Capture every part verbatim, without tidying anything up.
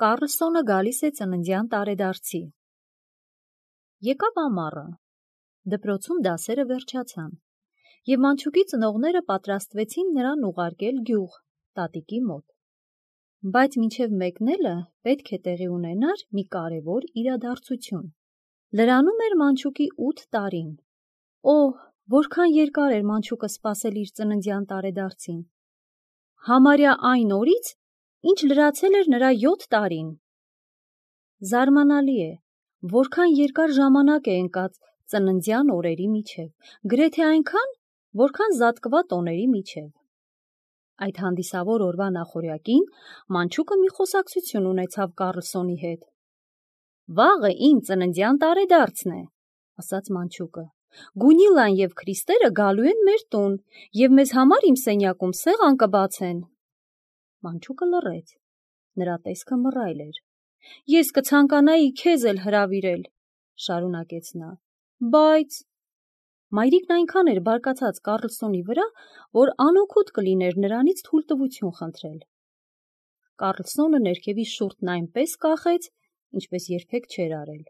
Կառլսոնը գալիս է ծննդյան տարեդարձի։ Եկավ ամառը, դպրոցում դասերը վերջացան, և Մանչուկի ծնողները պատրաստվեցին նրան ուղարկել գյուղ, տատիկի մոտ։ Բայց մինչև մեկնելը պետք է տեղի ունենար մի կարևոր իրադարձություն։ Լրանում էր Մանչուկի ութ տարին։ Օհ, որքան երկար էր Մանչուկը սպասել իր ծննդյան տարեդարձին։ Համարյա այն օրից, ինչ լրացել էր նրա յոթ տարին։ Զարմանալի է, որքան երկար ժամանակ է ընկած ծննդյան օրերի միջև, գրեթե այնքան, որքան զատկվա տոների միջև։ Այդ հանդիսավոր օրվա նախօրյակին Մանչուկը մի խոսակցություն ունեցավ Կառլսոնի հետ։ «Վաղը իմ ծննդյան տարեդարձն է», ասաց Մանչուկը։ «Գունիլան և Քրիստերը գալու են մեր տուն, և մեզ համար իմ սենյակում սեղան կբացեն»։ Մանչուկը լռեց, նրա տեսքը մռայլ էր։ «Ես կցանկանայի քեզ էլ հրավիրել», շարունակեց նա, «բայց…» Մայրիկն այնքան էր բարկացած Կառլսոնի վրա, որ անօգուտ կլիներ նրանից թույլտվություն խնդրել։ Կառլսոնը ներքևի շուրթն այնպես կախեց, ինչպես երբեք չէր արել։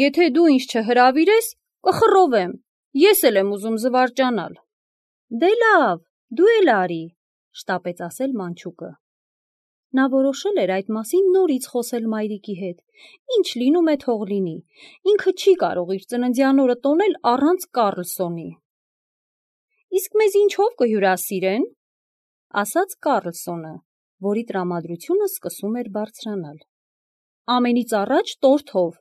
«Եթե դու ինձ չհրավիրես, կխռովեմ, ես էլ եմ ուզում զվարճանալ»։ «Դե լավ, դու էլ արի», շտապեց ասել Մանչուկը։ Նա որոշել էր այդ մասին նորից խոսել մայրիկի հետ։ Ինչ լինում է, թող լինի, ինքը չի կարող իր ծննդյան օրը տոնել առանց Կառլսոնի։ «Իսկ մեզ ինչով կհյուրասիրեն», ասաց Կառլսոնը, որի տրամադրությունը սկսում էր բարձրանալ։ «Ամենից առաջ տորթով,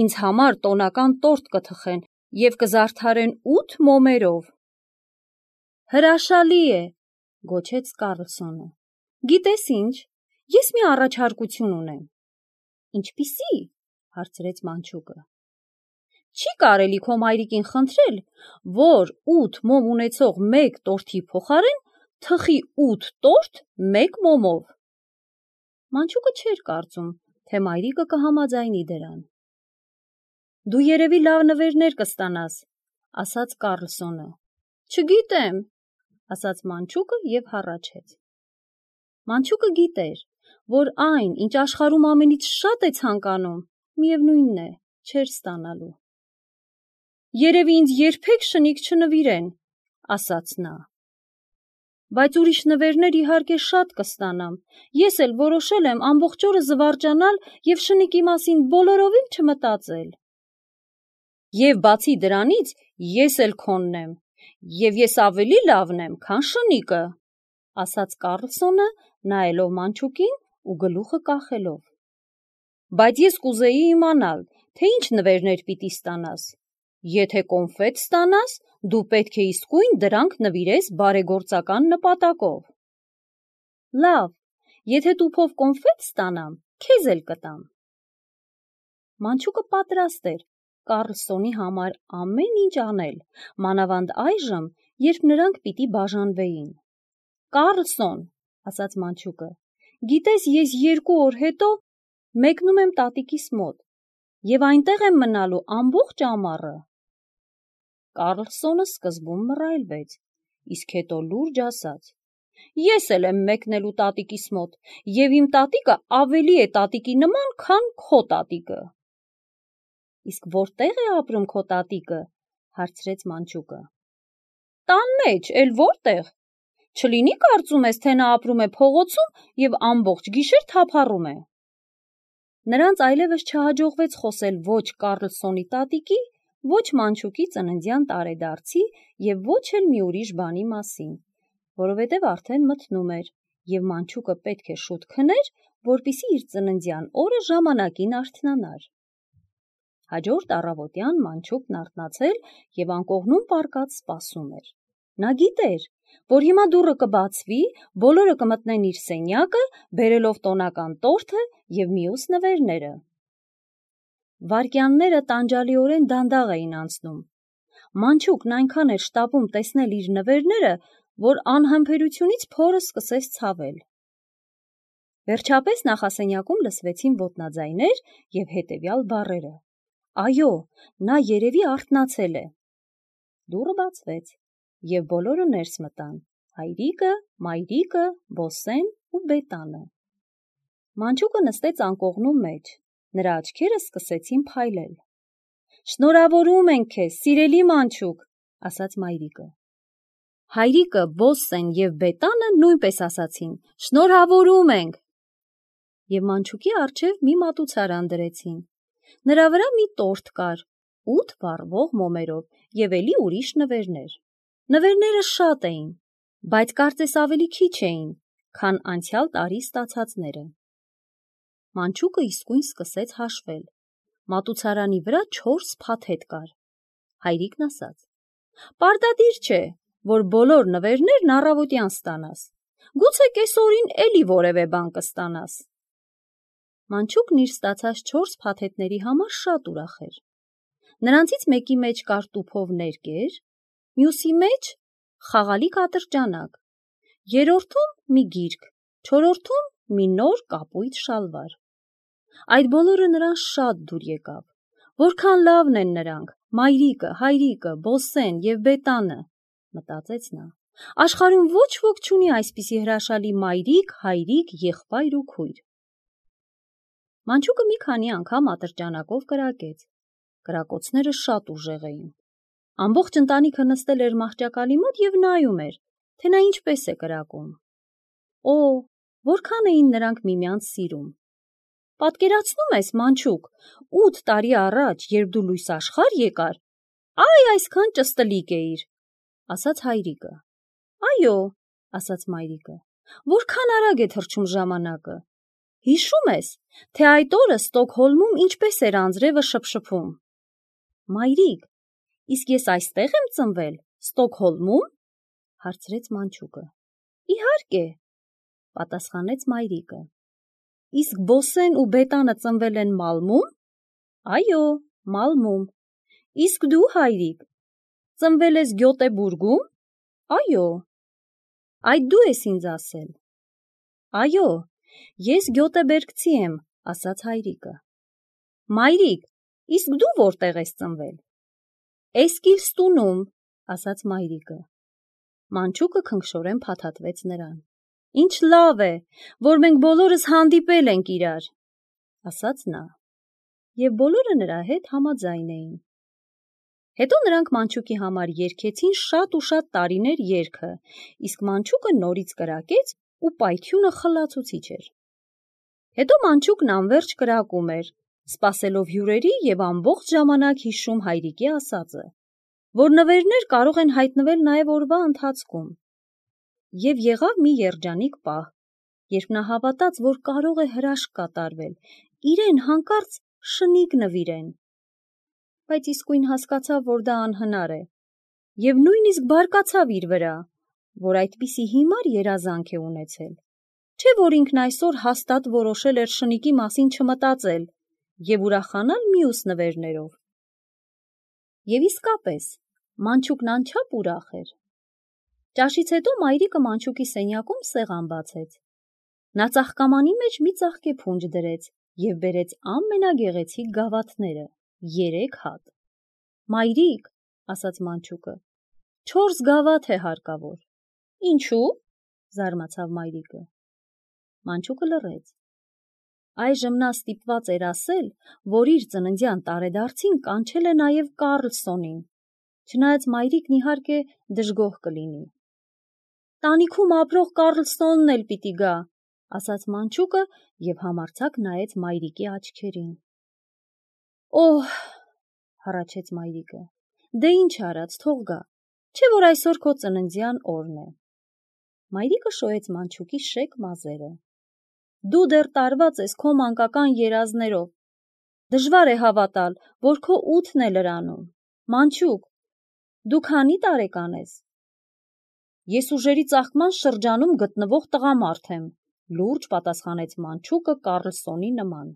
ինձ համար տոնական տորթ կթխեն և կզարդարեն ութ մոմերով»։ «Հրաշալի է», գոչեց Կառլսոնը։ «Գիտես ինչ, ես մի առաջարկություն ունեմ»։ «Ինչպիսի՞», հարցրեց Մանչուկը։ «Չի կարելի քո մայրիկին խնդրել, որ ութ մոմ ունեցող մեկ տորթի փոխարեն թխի ութ տորթ մեկ մոմով»։ Մանչուկը չէր կարծում, թե մայրիկը կհամաձայնի դրան։ «Դու երևի լավ նվերներ կստանաս», ասաց Կառլսոնը։ «Չգիտեմ», ասաց Մանչուկը և հառաչեց։ Մանչուկը գիտեր, որ այն, ինչ աշխարհում ամենից շատ է ցանկանում, միևնույնն է, չէր ստանալու։ «Երևի ինձ երբեք շնիկ չնվիրեն», ասաց նա։ «Բայց ուրիշ նվերներ իհարկե շատ կստանամ, ես էլ որոշել եմ ամբողջ օրը զվարճանալ և շնիկի մասին բոլորովին չմտածել»։ «Եվ բացի դրանից, ես էլ քոնն եմ, և ես ավելի լավն եմ, քան շնիկը», ասաց Կառլսոնը, նայելով Մանչուկին ու գլուխը կախելով։ «Բայց ես կուզեի իմանալ, թե ինչ նվերներ պիտի ստանաս։ Եթե կոնֆետ ստանաս, դու պետք է իսկույն դրանք նվիրես բարեգործական նպատակով»։ «Լավ, եթե տուփով կոնֆետ ստանամ, քեզ էլ կտամ»։ Մանչուկը պատրաստ էր Կառլսոնի համար ամեն ինչ անել, մանավանդ այժմ, երբ նրանք պիտի բաժանվեին։ «Կառլսոն», ասաց Մանչուկը, «գիտես, ես երկու օր հետո մեկնում եմ տատիկիս մոտ և այնտեղ եմ մնալու ամբողջ ամառը»։ Կառլսոնը սկզբում մռայլվեց, իսկ հետո լուրջ ասաց. «Ես էլ եմ մեկնելու տատիկիս մոտ, և իմ տատիկը ավելի է տատիկի նման, քան քո տատիկը»։ «Իսկ որտե՞ղ է ապրում քո տատիկը», հարցրեց Մանչուկը։ «Տան մեջ, էլ որտեղ։ Չլինի կարծում ես, թե նա ապրում է փողոցում և ամբողջ գիշեր թափառում է»։ Նրանց այլևս չհաջողվեց խոսել ոչ Կառլսոնի տատիկի, ոչ Մանչուկի ծննդյան տարեդարձի և ոչ էլ մի ուրիշ բանի մասին, որովհետև արդեն մթնում էր, և Մանչուկը պետք է շուտ քներ, որպեսզի իր ծննդյան օրը ժամանակին արթնանար։ Հաջորդ առավոտյան Մանչուկն արթնացել և անկողնում պառկած սպասում էր։ Նա գիտեր, որ հիմա դուռը կբացվի, բոլորը կմտնեն իր սենյակը, բերելով տոնական տորթը և մյուս նվերները։ Վայրկյանները տանջալիորեն դանդաղ էին անցնում։ Մանչուկն այնքան էր շտապում տեսնել իր նվերները, որ անհամբերությունից փորը սկսեց ցավել։ Վերջապես նախասենյակում լսվեցին ոտնաձայներ և հետևյալ բառերը. «Այո, նա երևի արթնացել է»։ Դուռը բացվեց, և բոլորը ներս մտան՝ հայրիկը, մայրիկը, Բոսեն ու Բետանը։ Մանչուկը նստեց անկողնու մեջ, նրա աչքերը սկսեցին փայլել։ Շնորհավորում ենք քեզ, սիրելի մանչուկ, ասաց մայրիկը։ Հայրիկը, Բոսսեն և Բետանը նույնպես ասացին. շնորհավորում ենք։ Եվ մանչուկի առջև մի մատուցարան դրեցին։ Նրա վրա մի տորտ կար, ութ վառվող մոմերով և էլի ուրիշ նվերներ։ Նվերները շատ էին, բայց կարծես ավելի քիչ էին, քան անցյալ տարի ստացածները։ Մանչուկը իսկույն սկսեց հաշվել։ Մատուցարանի վրա չորս փաթեթ կար։ Հայրիկն ասաց. պարտադիր չէ, որ բոլոր նվերներն առավոտյան ստանաս, գուցե կեսօրին էլի որևէ բան կստանաս։ Մանչուկն իր ստացած չորս փաթեթների համար շատ ուրախ էր։ Նրանցից մեկի մեջ կար տուփով ներկեր, մյուսի մեջ խաղալիք ատրճանակ, երրորդում մի գիրք, չորրորդում մի նոր կապույտ շալվար։ Այդ բոլորը նրան շատ դուր եկավ։ Որքան լավն են նրանք, մայրիկը, հայրիկը, Բոսսեն և Բետանը, մտածեց նա։ Աշխարհում ոչ ոք չունի այսպիսի հրաշալի մայրիկ, հայրիկ, եղբայր ու քույր։ Մանչուկը մի քանի անգամ ատրճանակով կրակեց։ Կրակոցները շատ ուժեղ էին։ Ամբողջ ընտանիքը նստել էր մահճակալի մոտ և նայում էր, թե նա ինչպես է կրակում։ Օ, որքան էին նրանք միմյանց սիրում։ Պատկերացնում ես, մանչուկ, ութ տարի առաջ, երբ դու լույս աշխարհ եկար, այ այսքան ճստլիկ էիր, ասաց հայրիկը։ Այո, ասաց մայրիկը, որքան արագ է թռչում ժամանակը։ Հիշում ես, թե այդ օրը Ստոկհոլմում ինչպես էր անձրևը շփշփում։ Մայրիկ, իսկ ես այստեղ եմ ծնվել, Ստոկհոլմում, հարցրեց մանչուկը։ Իհարկե, պատասխանեց մայրիկը։ Իսկ Բոսսեն ու Բետանը ծնվել են Մալմում։ Այո, Մալմում։ Իսկ դու, հայրիկ, ծնվել ես Գյոտեբուրգում։ Այո։ Այդ դու ես ինձ ասել։ Այո, ես գյոտեբերգցի եմ, ասաց հայրիկը։ Մայրիկ, իսկ դու որտեղ ես ծնվել։ Էսկիլստունում, ասաց մայրիկը։ Մանչուկը քնքշորեն փաթաթվեց նրան։ Ինչ լավ է, որ մենք բոլորս հանդիպել ենք իրար, ասաց նա։ Եվ բոլորը նրա հետ համաձայն էին։ Հետո նրանք մանչուկի համար երգեցին շատ ու շատ տարիներ երգը, իսկ մանչուկը նորից կրակեց ու պայթյունը խլացուցիչ էր։ Հետո մանչուկն անվերջ կրակում էր, սպասելով հյուրերի և ամբողջ ժամանակ հիշում հայրիկի ասածը, որ նվերներ կարող են հայտնվել նաև օրվա ընթացքում։ Եվ եղավ մի երջանիկ պահ, երբ նա հավատաց, որ կարող է հրաշք կատարվել, իրեն հանկարծ շնիկ նվիրեն։ Բայց իսկույն հասկացավ, որ դա անհնար է, և նույնիսկ բարկացավ իր վրա, որ այդպիսի հիմար երազանք է ունեցել, չէ որ ինքն այսօր հաստատ որոշել էր շնիկի մասին չմտածել և ուրախանալ մյուս նվերներով։ Եվ իսկապես, մանչուկն անչափ ուրախ էր։ Ճաշից հետո մայրիկը մանչուկի սենյակում սեղան բացեց։ Նա ծաղկամանի մեջ մի ծաղկեփունջ դրեց և բերեց ամենագեղեցիկ գավաթները, երեք հատ։ Մայրիկ, ասաց մանչուկը, չորս գավաթ է հարկավոր։ Ինչու՞, զարմացավ մայրիկը։ Մանչուկը լռեց։ Այժմ նա ստիպված էր ասել, որ իր ծննդյան տարեդարձին կանչել է նաև Կառլսոնին, չնայած մայրիկն իհարկե դժգոհ կլինի։ Տանիքում ապրող Կառլսոնն էլ պիտի գա, ասաց մանչուկը և համարձակ նայեց մայրիկի աչքերին։ Օհ, հառաչեց մայրիկը, դե ինչ արած, թող գա, չէ որ այսօր քո ծննդյան օրն է։ Մայրիկը շոյեց մանչուկի շեկ մազերը։ Դու դեռ տարված ես քո մանկական երազներով։ Դժվար է հավատալ, որ քո ութն է լրանում։ Մանչուկ, դու քանի տարեկան ես։ Ես ուժերի ծաղկման շրջանում գտնվող տղամարդ եմ, լուրջ պատասխանեց մանչուկը Կառլսոնի նման։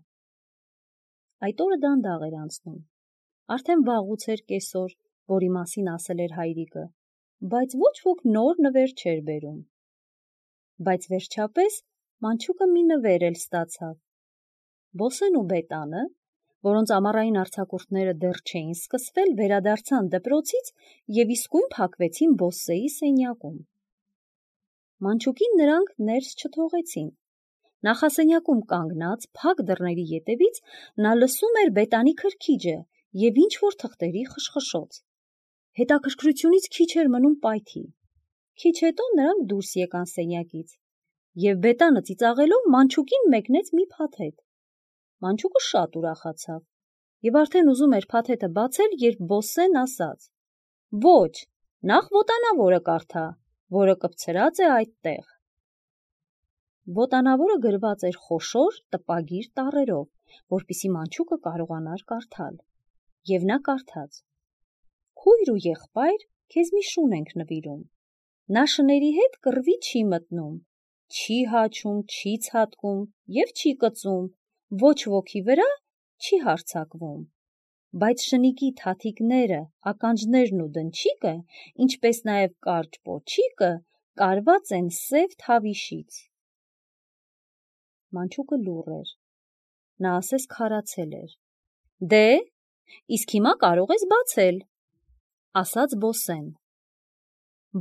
Այդ օրը դանդաղ էր անցնում։ Արդեն վաղուց էր կեսօր, որի մասին ասել էր հայրիկը, բայց ոչ ոք նոր նվեր չէր բերում։ Բայց վերջապես մանչուկը մի նվեր էլ ստացավ։ Բոսսեն ու Բետանը, որոնց ամառային արձակուրդները դեռ չէին սկսվել, վերադարձան դպրոցից և իսկույն փակվեցին Բոսսեի սենյակում։ Մանչուկին նրանք ներս չթողեցին, Նախասենյակում կանգնած փակ դռների ետևից նա լսում էր Բետանի քրքիջը և ինչ-որ թղթերի խշխշոց։ Հետաքրքրությունից քիչ էր մնում պայթի։ Քիչ հետո նրանք դուրս եկան սենյակից, և Բետանը ծիծաղելով Մանչուկին մեկնեց մի փաթեթ։ Մանչուկը շատ ուրախացավ և արդեն ուզում էր փաթեթը բացել, երբ Բոսսեն ասաց. «Ոչ, նախ ոտանավորը կարդա, որը կպցրած է այդտեղ»։ Ոտանավորը գրված էր խոշոր տպագիր տառերով, որպեսզի Մանչուկը կարողանար կարդալ, և նա կարդաց. «Քույր ու եղբայր քեզ մի շուն ենք նվիրում։ Նա շների հետ կռվի չի մտնում, չի հաչում, չի ցատկում և չի կծում, ոչ ոքի վրա չի հարձակվում։ Բայց շնիկի թաթիկները, ականջներն ու դնչիկը, ինչպես նաև կարճ պոչիկը կարված են սև թավիշից»։ Մանչուկը լուռ էր։ Նա ասես քարացել էր։ «Դե, իսկ հիմա կարող ես բացել», ասաց Բոսսեն։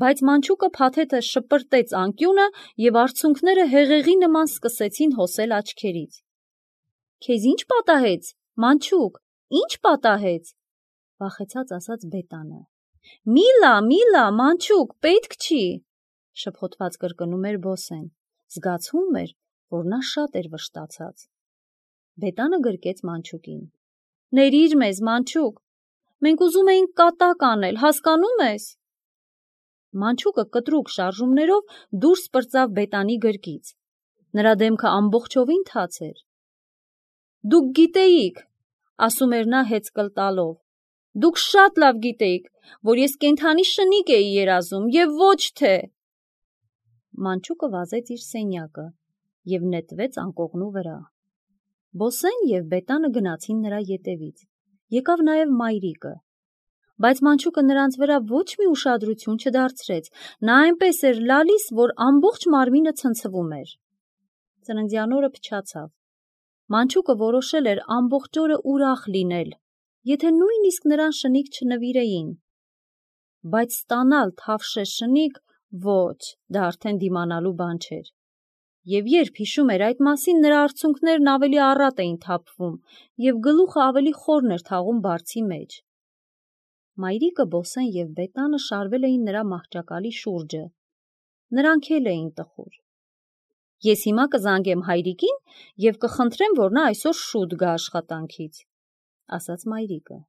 Բայց Մանչուկը փաթեթը շպրտեց անկյունը, և արցունքները հեղեղի նման սկսեցին հոսել աչքերից։ «Քեզ ի՞նչ պատահեց, Մանչուկ, ի՞նչ պատահեց», վախեցած ասաց Բետանը։ «Միլա, Միլա, Մանչուկ, պետք չի», շփոթված կրկնում էր Բոսսեն։ Զգացվում էր, որ նա շատ էր վշտացած։ Բետանը գրկեց Մանչուկին։ «Ներիր մեզ, Մանչուկ, մենք ուզում էինք կատակ անել, հասկանո՞ւմ ես»։ Մանչուկը կտրուկ շարժումներով դուրս պրծավ Բետանի գրկից։ Նրա դեմքը ամբողջովին թաց էր։ «Դուք գիտեիք», ասում էր նա հեծկլ տալով, «դուք շատ լավ գիտեիք, որ ես կենդանի շնիկ էի երազում, և ոչ թե»։ Մանչուկը վազեց իր սենյակը և նետվեց անկողնու վրա։ Բոսսեն և Բետանը գնացին նրա ետևից։ Եկավ նաև մայրիկը։ Բայց Մանչուկը նրանց վրա ոչ մի ուշադրություն չդարձրեց, նա այնպես էր լալիս, որ ամբողջ մարմինը ցնցվում էր։ Ծննդյան օրը փչացավ։ Մանչուկը որոշել էր ամբողջ օրը ուրախ լինել, եթե նույնիսկ նրան շնիկ չնվիրեին։ Բայց ստանալ թավշե շնիկ, ոչ, դա արդեն դիմանալու բան չէր։ Եվ երբ հիշում էր այդ մասին, նրա արցունքներն ավելի առատ էին թափվում, և գլուխը ավելի խորն էր թաղում բարձի մեջ։ Մայրիկը, Բոսսեն և Բետանը շարվել էին նրա մահճակալի շուրջը։ Նրանք էլ էին տխուր։ «Ես հիմա կզանգեմ հայրիկին և կխնդրեմ, որ նա այսօր շուտ գա աշխատանքից», ասաց մայրիկը։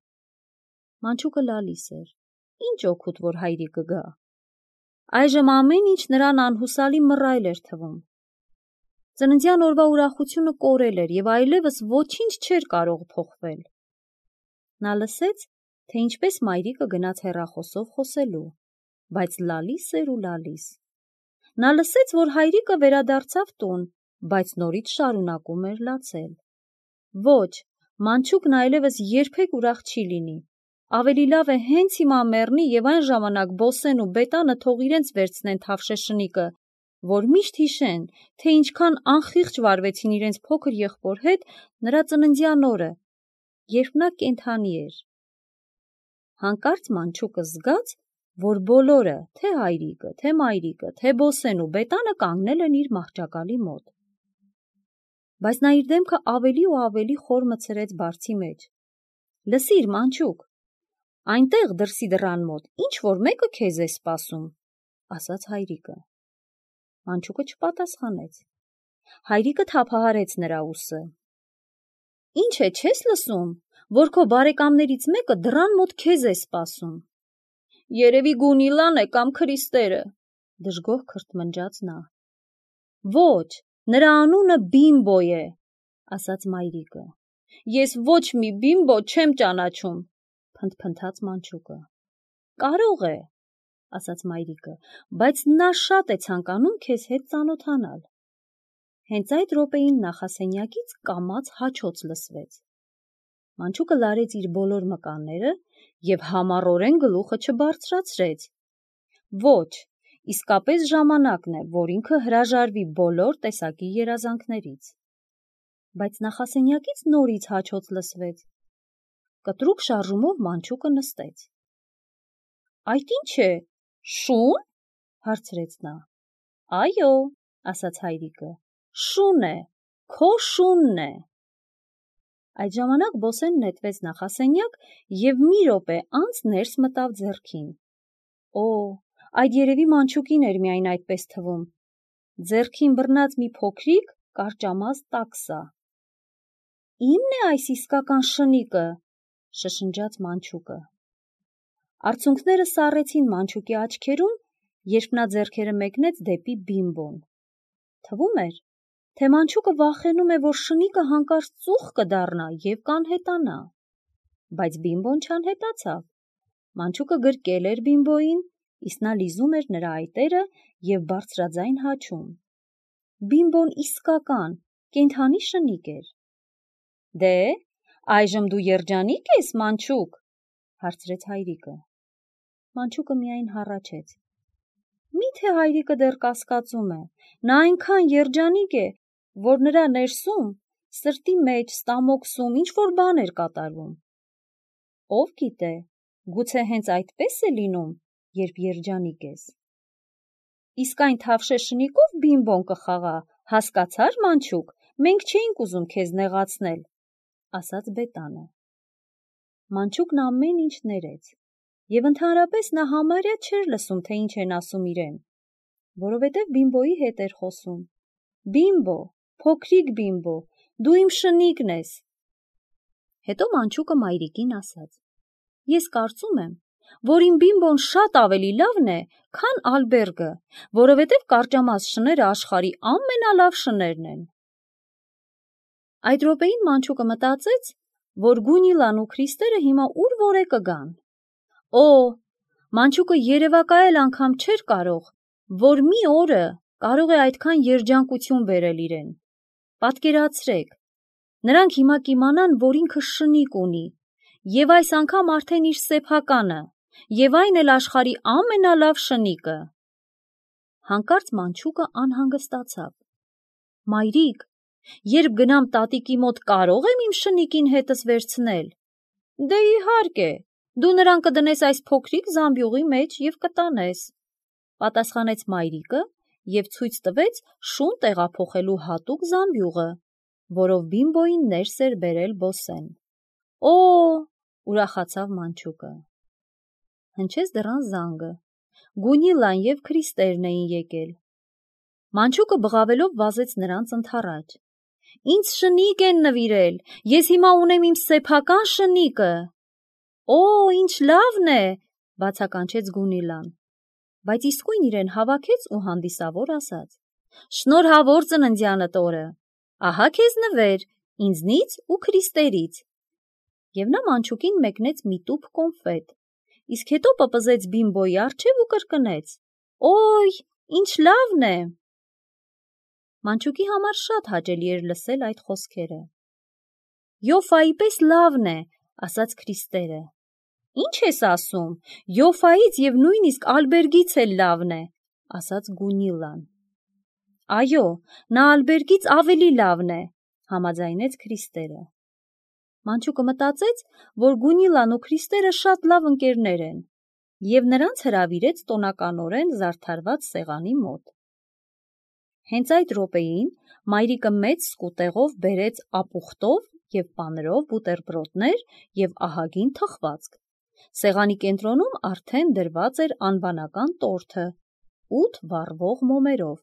Մանչուկը լալիս էր։ Ինչ օգուտ, որ հայրիկը գա։ Այժմ ամեն ինչ նրան անհուսալի մռայլ էր թվում։ Ծննդյան օրվա ուրախությունը կորել էր, և այլևս ոչինչ չէր կարող փոխվել։ Նա լսեց, թե ինչպես մայրիկը գնաց հեռախոսով խոսելու, բայց լալիս էր ու լալիս։ Նա լսեց, որ հայրիկը վերադարձավ տուն, բայց նորից շարունակում էր լացել։ Ոչ, Մանչուկն այլևս երբեք ուրախ չի լինի։ Ավելի լավ է հենց հիմա մեռնի, և այն ժամանակ Բոսսեն ու Բետանը թող իրենց վերցնեն թավշե շնիկը, որ միշտ հիշեն, թե ինչքան անխիղճ վարվեցին իրենց փոքր եղբոր հետ նրա ծննդյան օրը, երբ նա կենդանի էր։ Հանկարծ Մանչուկը զգաց, որ բոլորը, թե հայրիկը, թե մայրիկը, թե Բոսսեն ու Բետանը կանգնել են իր մահճակալի մոտ։ Բայց նա իր դեմքը ավելի ու ավելի խոր մտցրեց բարձի մեջ։ «Լսիր, Մանչուկ, այնտեղ դրսի դռան մոտ ինչ-որ մեկը քեզ է սպասում», ասաց հայրիկը։ Մանչուկը չպատասխանեց։ Հայրիկը թափահարեց նրա ուսը։ «Ինչ է, չես լսում, որ քո բարեկամներից մեկը դռան մոտ քեզ է սպասում»։ «Երևի Գունիլան է կամ Քրիստերը», դժգոհ քրթմնջաց նա։ «Ոչ, նրա անունը Բիմբո է», ասաց մայրիկը։ «Ես ոչ մի Բիմբո չեմ ճանաչում», փնթփնթաց Մանչուկը։ «Կարող է», ասաց մայրիկը, «բայց նա շատ է ցանկանում քեզ հետ ծանոթանալ»։ Հենց այդ րոպեին նախասենյակից կամաց հաչոց լսվեց։ Մանչուկը լարեց իր բոլոր մկանները և համառորեն գլուխը չբարձրացրեց։ Ոչ, իսկապես ժամանակն է, որ ինքը հրաժարվի բոլոր տեսակի երազանքներից։ Բայց նախասենյակից նորից հաչոց լսվեց։ Կտրուկ շարժումով Մանչուկը նստեց։ «Այդ ի՞նչ է, շո՞ւն», հարցրեց նա։ «Այո», ասաց հայրիկը, Շուն է, քո շունն է։ Այդ ժամանակ Բոսեն նետվեց նախասենյակ և մի րոպե անց ներս մտավ ձեռքին։ Օ, այդ երևի մանչուկին էր միայն այդպես թվում։ Ձեռքին բռնած մի փոքրիկ կարճամած տաքսա։ Իմն է այս իսկական շնիկը, շշնջաց մանչուկը։ Արցունքները սառեցին մանչուկի աչքերում, երբ նա ձեռքերը մեկնեց դեպի Բիմբոն։ Թվում էր, թե մանչուկը վախենում է, որ շնիկը հանկարծ ծուխ կդառնա և կանհետանա։ Բայց Բիմբոն չանհետացավ։ Մանչուկը գրկել էր Բիմբոյին, իսկ նա լիզում էր նրա այտերը և բարձրաձայն հաչում։ Բիմբոն իսկական, կենդանի շնիկ էր։ Դե, այժմ դու երջանի՞կ ես, մանչուկ, հարցրեց հայրիկը։ Մանչուկը միայն հառաչեց։ Մի՞թե հայրիկը դեռ կասկածում է, նա այնքան երջանիկ է, որ նրա ներսում, սրտի մեջ, ստամոքսում ինչ-որ բան էր կատարվում։ Ով գիտե, գուցե հենց այդպես է լինում, երբ երջանիկ ես։ Իսկ այն թավշե շնիկով Բիմբոն կխաղա, հասկացա՞ր, մանչուկ, մենք չէինք ուզում քեզ նեղացնել, ասաց Բետանը։ Մանչուկն ամեն ինչ ներեց, և ընդհանրապես նա համարյա չէր լսում, թե ինչ են ասում իրեն, որովհետև Բիմբոյի հետ էր խոսում։ Բիմբո, փոքրիկ Բիմբո, դու իմ շնիկն ես։ Հետո մանչուկը մայրիկին ասաց. Ես կարծում եմ, որ իմ Բիմբոն շատ ավելի լավն է, քան Ալբերգը, որովհետև կարճամած շները աշխարհի ամենալավ շներն են։ Այդ րոպեին մանչուկը մտածեց, որ Գունիլան ու Քրիստերը հիմա ուր որ է կգան։ Օ, մանչուկը երևակայել անգամ չէր կարող, որ մի օրը կարող է այդքան երջանկություն բերել իրեն։ Պատկերացրեք, նրանք հիմա կիմանան, որ ինքը շնիկ ունի, և այս անգամ արդեն իր սեփականը, և այն էլ աշխարհի ամենալավ շնիկը։ Հանկարծ մանչուկը անհանգստացավ։ Մայրիկ, երբ գնամ տատիկի մոտ կարո՞ղ եմ իմ շնիկին հետս վերցնել։ Դե իհարկե, դու նրան կդնես այս փոքրիկ զամբյուղի մեջ և կտանես, պատասխանեց մայրիկը և ցույց տվեց շուն տեղափոխելու հատուկ զամբյուղը, որով Բիմբոյին ներս էր բերել Բոսեն։ Օ, ուրախացավ մանչուկը։ Հնչեց դռան զանգը։ Գունիլան և Քրիստերն էին եկել։ Մանչուկը բղավելով վազեց նրանց ընդառաջ։ Ինձ շնիկ են նվիրել, ես հիմա ունեմ իմ սեփական շնիկը։ Օ, ինչ լավն է, բացականչեց Գունիլան, բայց իսկույն իրեն հավաքեց ու հանդիսավոր ասաց. Շնորհավոր ծննդյանդ օրը, ահա քեզ նվեր, ինձնից ու Քրիստերից։ Եվ նա մանչուկին մեկնեց մի տուփ կոնֆետ, իսկ հետո պպզեց Բիմբոյի առջև ու կրկնեց. Օй, ինչ լավն է։ Մանչուկի համար շատ հաճելի էր լսել այդ խոսքերը։ Յոֆայի պես լավն է, ասաց Քրիստերը։ Ինչ ես ասում, Յոֆայից և նույնիսկ Ալբերգից էլ լավն է, ասաց Գունիլան։ Այո, նա Ալբերգից ավելի լավն է, համաձայնեց Քրիստերը։ Մանչուկը մտածեց, որ Գունիլան ու Քրիստերը շատ լավ ընկերներ են, և նրանց հրավիրեց տոնականորեն զարդարված սեղանի մոտ։ Հենց այդ րոպեին մայրիկը մեծ սկուտեղով բերեց ապուխտով և պանրով բուտերբրոդներ և ահագին թխվածք։ Սեղանի կենտրոնում արդեն դրված էր անվանական տորթը, ութ վառվող մոմերով։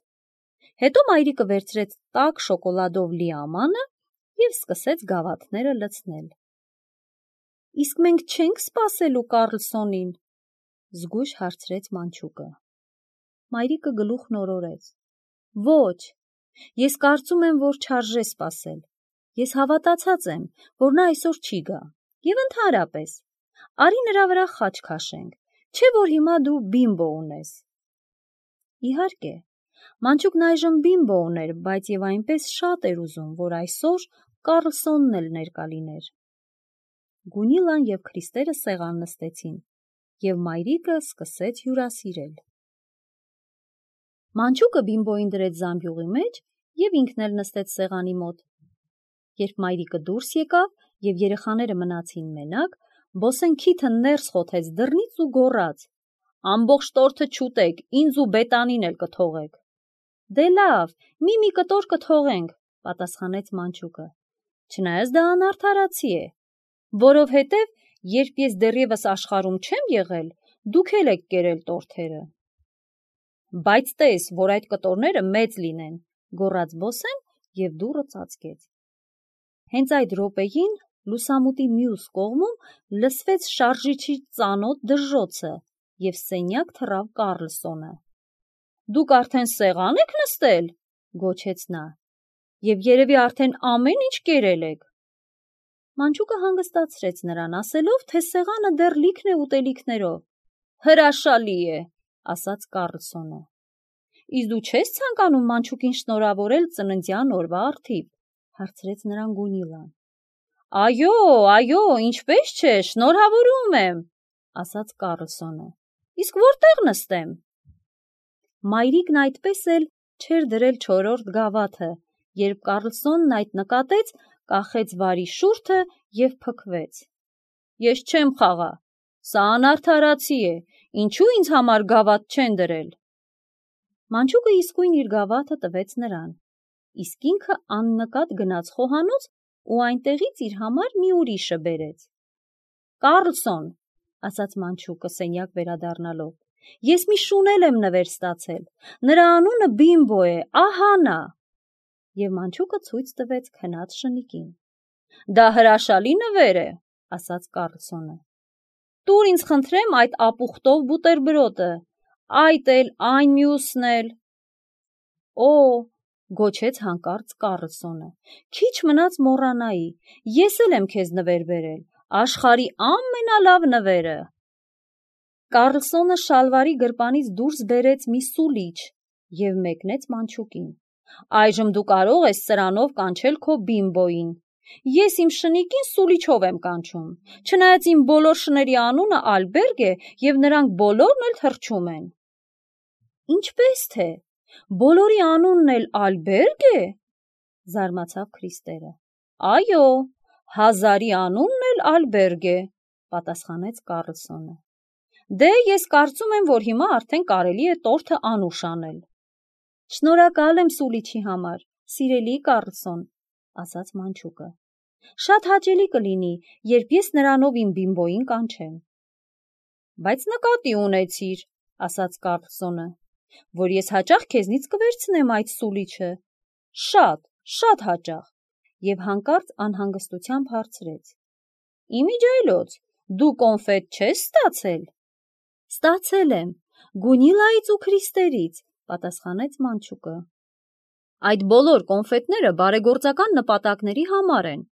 Հետո մայրիկը վերցրեց տաք շոկոլադով լի ամանը և սկսեց գավաթները լցնել։ Իսկ մենք չենք սպասելու Կառլսոնին, զգույշ հարցրեց մանչուկը։ Մայրիկը գլուխն օրորեց։ Ոչ, ես կարծում եմ, որ չարժե սպասել։ Ես հավատացած եմ, որ նա այսօր չի գա։ Եվ ընդհանրապես, արի նրա վրա խաչ քաշենք, չէ՞ որ հիմա դու Բիմբո ունես։ Իհարկե, մանչուկն այժմ Բիմբո ուներ, բայց և այնպես շատ էր ուզում, որ այսօր Կառլսոնն էլ ներկա լիներ։ Գունիլան և Քրիստերը սեղան նստեցին, և մայրիկը սկսեց հյուրասիրել։ Մանչուկը Բիմբոյին դրեց զամբյուղի մեջ և ինքն էլ նստեց սեղանի մոտ։ Երբ մայրիկը դուրս եկավ և երեխաները մնացին մենակ, Բոսեն քիթը ներս խոթեց դռնից ու գոռաց. Ամբողջ տորթը չուտեք, ինձ ու Բետանին էլ կթողեք։ Դե լավ, մի-մի կտոր կթողենք, պատասխանեց մանչուկը, չնայած դա անարդարացի է, որովհետև երբ ես դեռևս աշխարհում չեմ եղել, դուք էլ եք կերել տորթերը։ Բայց տես, որ այդ կտորները մեծ լինեն, գոռաց բոսեն և դուռը ծածկեց։ Հենց այդ րոպեին լուսամուտի մյուս կողմում լսվեց շարժիչի ծանոթ դժրոցը և սենյակ թռավ Կառլսոնը։ Դուք արդեն սեղան եք նստել, գոչեց նա, և երևի արդեն ամեն ինչ կերել եք։ Մանչուկը հանգստացրեց նրան, ասելով, թե սեղանը դեռ լիքն է ուտելիքներով։ Հրաշալի է, ասաց Կառլսոնը։ Իսկ դու չես ցանկանում մանչուկին շնորհավորել ծննդյան օրվա առթիվ, հարցրեց նրան Գունիլան։ Այո, այո, ինչպես չէ, շնորհավորում եմ, ասաց Կառլսոնը։ Իսկ որտեղ նստեմ։ Մայրիկն այդպես էլ չէր դրել չորրորդ գավաթը, երբ Կառլսոնն այդ նկատեց, կախեց վարի շուրթը և փքվեց։ Ես չեմ խաղա, սա անարդարացի է, ինչու ինձ համար գավաթ չեն դրել։ Մանչուկը իսկույն իր գավաթը տվեց նրան, իսկ ինքը աննկատ գնաց խոհանոց ու այնտեղից իր համար մի ուրիշը բերեց։ Կառլսոն, ասաց մանչուկը սենյակ վերադառնալով, ես մի շունել եմ նվեր ստացել, նրա անունը Բիմբո է, ահա նա։ Եվ մանչուկը ցույց տվեց քնած շնիկին։ Դա հրաշալի նվեր է, ասաց Կառլսոնը։ Տուր ինձ խնդրեմ այդ ապուխտով բուտերբրոդը, այդ էլ, այն մյուսն էլ։ Օ, գոչեց հանկարծ Կառլսոնը, քիչ մնաց մոռանայի, ես էլ եմ քեզ նվեր բերել, աշխարհի ամենալավ նվերը։ Կառլսոնը շալվարի գրպանից դուրս բերեց մի սուլիչ և մեկնեց մանչուկին։ Այժմ դու կարող ես սրանով կանչել քո Բիմբոյին։ Ես իմ շնիկին սուլիչով եմ կանչում, չնայած իմ բոլոր շների անունը Ալբերգ է և նրանք բոլորն էլ թռչում են։ Ինչպես թե, բոլորի անունն էլ Ալբերգ է, զարմացավ Քրիստերը։ Այո, հազարի անունն էլ Ալբերգ է, պատասխանեց Կառլսոնը։ Դե ես կարծում եմ, որ հիմա արդեն կարելի է տորթը անուշ անել։ Շնորհակալ եմ սուլիչի համար, սիրելի Կառլսոն, ասաց մանչուկը։ Շատ հաճելի կլինի, երբ ես նրանով իմ Բիմբոյին կանչեմ։ Բայց նկատի ունեցիր, ասաց Կառլսոնը, որ ես հաճախ քեզնից կվերցնեմ այդ սուլիչը։ Շատ, շատ հաճախ, և հանկարծ անհանգստությամբ հարցրեց. Իմիջիայլոց, դու կոնֆետ չես ստացել։ Ստացել եմ, Գունիլայից ու Քրիստերից, պատասխանեց մանչուկը։ Այդ բոլոր կոնֆետները բարեգործական նպատակների համար են,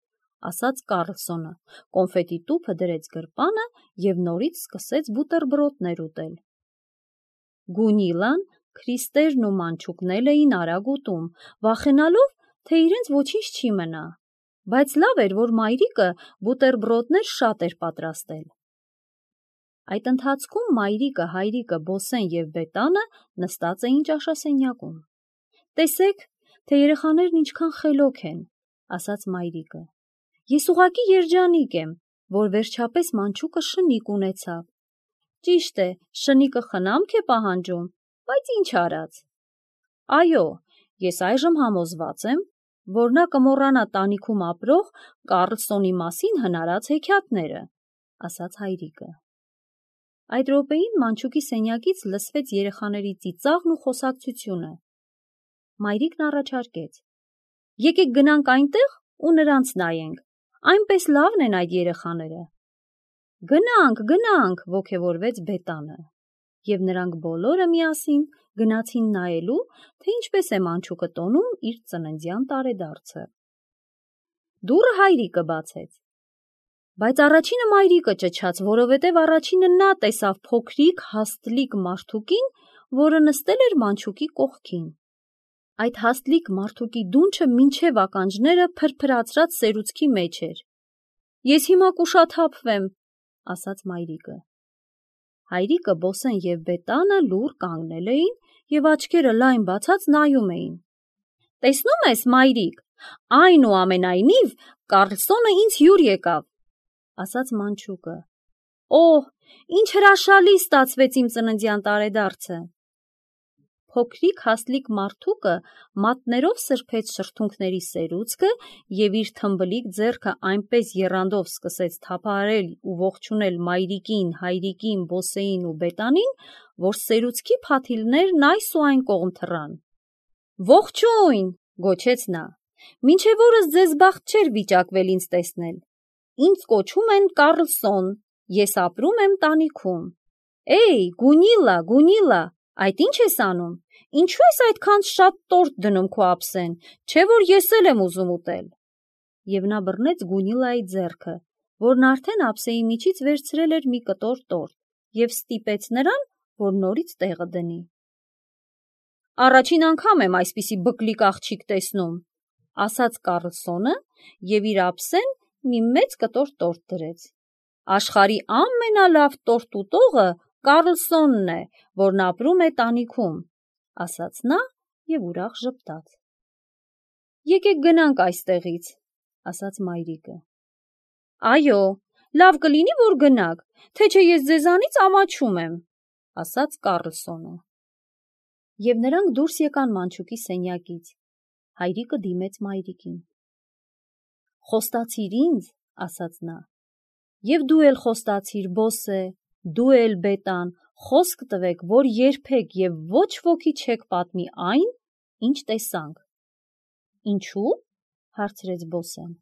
ասաց Կառլսոնը, կոնֆետի տուփը դրեց գրպանը և նորից սկսեց բուտերբրոդներ ուտել։ Գունիլան, Քրիստերն ու մանչուկն էլ էին արագ ուտում, վախենալով, թե իրենց ոչինչ չի մնա, բայց լավ էր, որ մայրիկը բուտերբրոդներ շատ էր պատրաստել։ Այդ ընթացքում մայրիկը, հայրիկը, Բոսեն և Բետանը նստած էին ճաշասենյակում։ Տեսեք, թե երեխաներն ինչքան խելոք են, ասաց մայրիկը։ Ես ուղղակի երջանիկ եմ, որ վերջապես մանչուկը շնիկ ունեցավ։ Ճիշտ է, շնիկը խնամք է պահանջում, բայց ինչ արած։ Այո, ես այժմ համոզված եմ, որ նա կմոռանա տանիքում ապրող Կառլսոնի մասին հնարած հեքիաթները, ասաց հայրիկը։ Այդ րոպեին մանչուկի սենյակից լսվեց երեխաների ծիծաղն ու խոսակցությունը։ Մայրիկն առաջարկեց. Եկեք գնանք այնտեղ ու նրանց նայենք, այնպես լավն են այդ երեխաները։ Գնանք, գնանք, ոգևորվեց Բետանը, և նրանք բոլորը միասին գնացին նայելու, թե ինչպես է մանչուկը տոնում իր ծննդյան տարեդարձը։ Դուռը հայրիկը բացեց։ Բայց առաջինը մայրիկը ճչաց, որովհետև առաջինը նա տեսավ փոքրիկ հաստլիկ մարդուկին, որը նստել էր մանչուկի կողքին։ Այդ հաստլիկ մարդուկի դունչը մինչև ականջները փրփրացրած սերուցքի մեջ էր։ Ես հիմա կուշաթափվեմ, ասաց մայրիկը։ Հայրիկը, Բոսեն և Բետանը լուռ կանգնել էին և աչքերը լայն բացած նայում էին։ Տեսնում ես, մայրիկ, այնուամենայնիվ Կառլսոնը ինձ հյուր եկավ, ասաց մանչուկը։ Օհ, ինչ հրաշալի ստացվեց իմ ծննդյան տարեդարձը։ փոքրիկ հասլիկ մարդուկը մատներով սրբեց շրթունքների սերուցքը և իր թմբլիկ ձեռքը այնպես եռանդով սկսեց թափահարել ու ողջունել մայրիկին, հայրիկին, բոսեին ու բետանին, որ սերուցքի փաթիլներն այս ու այն կողմ թռան։ «Ողջույն», գոչեց նա, «մինչև օրս ձեզ բախտ չէր վիճակվել ինձ տեսնել։ Ինձ կոչում են Կառլսոն, ես ապրում եմ տանիքում։ Էյ, Գունիլլա, Գունիլլա, այդ ի՞նչ ես անում, ինչու ես այդքան շատ տորտ դնում քո ափսեն, չէ՞ որ ես էլ եմ ուզում ուտել»։ Եվ նա բռնեց Գունիլլայի ձեռքը, որն արդեն ափսեի միջից վերցրել էր մի կտոր տորտ, և ստիպեց նրան, որ նորից տեղը դնի։ «Առաջին անգամ եմ այսպիսի բկլիկ աղջիկ տեսնում», ասաց Կառլսոնը և իր ափսեն մի մեծ կտոր տորտ դրեց։ «Աշխարհի ամենալավ տորտ ուտողը Կառլսոնն է, որն ապրում է տանիքում», ասաց նա և ուրախ ժպտաց։ «Եկեք գնանք այստեղից», ասաց մայրիկը։ «Այո, լավ կլինի, որ գնաք, թե չէ ես ձեզանից ամաչում եմ», ասաց Կառլսոնը։ Եվ նրանք դուրս եկան մանչուկի սենյակից։ Հայրիկը դիմեց մայրիկին։ «Խոստացիր ինձ», ասաց նա, «և դու էլ խոստացիր, Բոսե, դու էլ Բետան, խոսք տվեք, որ երբեք և ոչ ոքի չեք պատմի այն, ինչ տեսանք»։ «Ինչու՞, հարցրեց Բոսեն։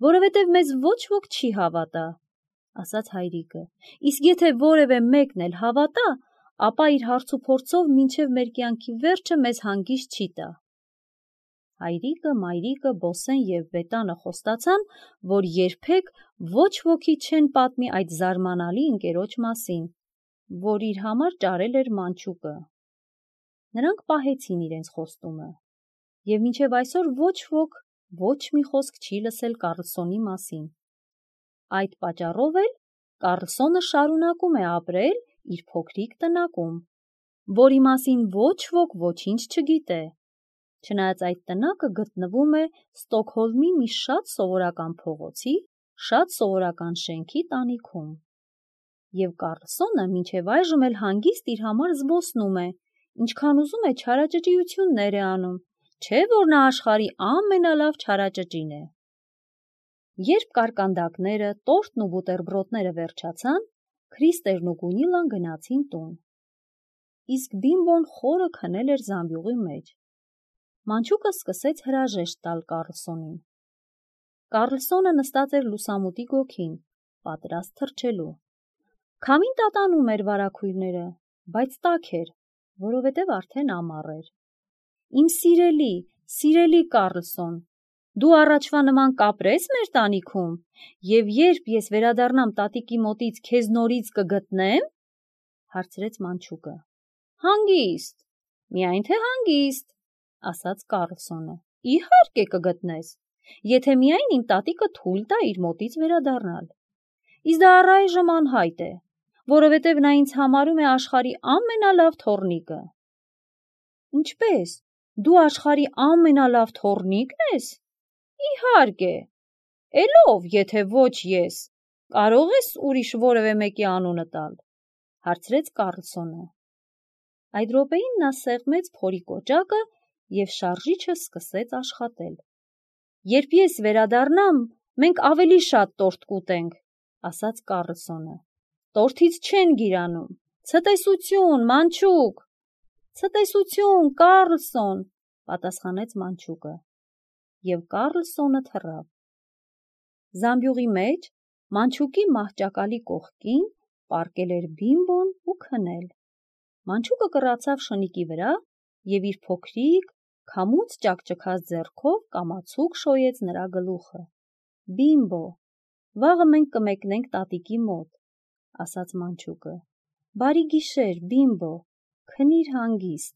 «Որովհետև մեզ ոչ ոք չի հավատա», ասաց հայրիկը, «իսկ եթե որևէ մեկն էլ հավատա, ապա իր հարցուփորձով մինչև մեր կյանքի վերջը մեզ հանգիստ չի տա»։ Հայրիկը, մայրիկը, Բոսեն և Բետանը խոստացան, որ երբեք ոչ ոքի չեն պատմի այդ զարմանալի ընկերոջ մասին, որ իր համար ճարել էր մանչուկը։ Նրանք պահեցին իրենց խոստումը, և մինչև այսօր ոչ ոք ոչ մի խոսք չի լսել Կառլսոնի մասին։ Այդ պատճառով էլ Կառլսոնը շարունակում է ապրել իր փոքրիկ տնակում, որի մասին ոչ ոք ոչինչ չգիտե, չնայած այդ տնակը գտնվում է Ստոկհոլմի մի շատ սովորական փողոցի, շատ սովորական շենքի տանիքում։ Եվ Կառլսոնը մինչև այժմ էլ հանգիստ իր համար զբոսնում է, ինչքան ուզում է չարաճճիություններ է անում, չէ՞ որ նա աշխարհի ամենալավ չարաճճին է։ Երբ կարկանդակները, տորտն ու բուտերբրոդները վերջացան, Քրիստերն ու Գունիլլան գնացին տուն։ Իսկ Բիմբոն խորը քնել էր զամբյուղի մեջ։ Մանչուկը սկսեց հրաժեշտ տալ Կառլսոնին։ Կառլսոնը նստած էր լուսամուտի գոգին, պատրաստ թռչելու։ Քամին տատանում էր վարագույրները, բայց տաք էր, որովհետև արդեն ամառ էր։ «Իմ սիրելի, սիրելի Կառլսոն, դու առաջվա նման կապրե՞ս մեր տանիքում, և երբ ես վերադառնամ տատիկի մոտից, քեզ նորից կգտնե՞մ», հարցրեց մանչուկը։ «Հանգիստ, միայն թե հանգիստ», ասաց Կառլսոնը։ «Իհարկե կգտնես, եթե միայն իմ տատիկը թույլ տա իր մոտից վերադառնալ։ Իսկ դա առայժմ անհայտ է, որովհետև նա ինձ համարում է աշխարհի ամենալավ թոռնիկը»։ «Ինչպե՞ս, դու աշխարհի ամենալավ թոռնի՞կն ես»։ «Իհարկե, էլ ո՞վ, եթե ոչ ես, կարող ես ուրիշ որևէ մեկի անունը տալ», հարցրեց Կառլսոնը։ Այդ րոպեին նա սեղմեց փորի կոճակը և շարժիչը սկսեց աշխատել։ «Երբ ես վերադառնամ, մենք ավելի շատ տորտ կուտենք», ասաց Կառլսոնը։ «Տորթից չեն գիրանում։ Ցտեսություն, մանչուկ»։ «Ցտեսություն, Կառլսոն», պատասխանեց մանչուկը։ Եվ Կառլսոնը թռավ։ Զամբյուղի մեջ, մանչուկի մահճակալի կողքին, պառկել էր Բիմբոն ու քնել։ Մանչուկը կռացավ շնիկի վրա և իր փոքրիկ, քամուց ճաքճքած ձեռքով կամացուկ շոյեց նրա գլուխը։ «Բիմբո, վաղը մենք կմեկնենք տատիկի մոտ», ասաց մանչուկը։ «Բարի գիշեր, Բիմբո, քնիր հանգիստ»։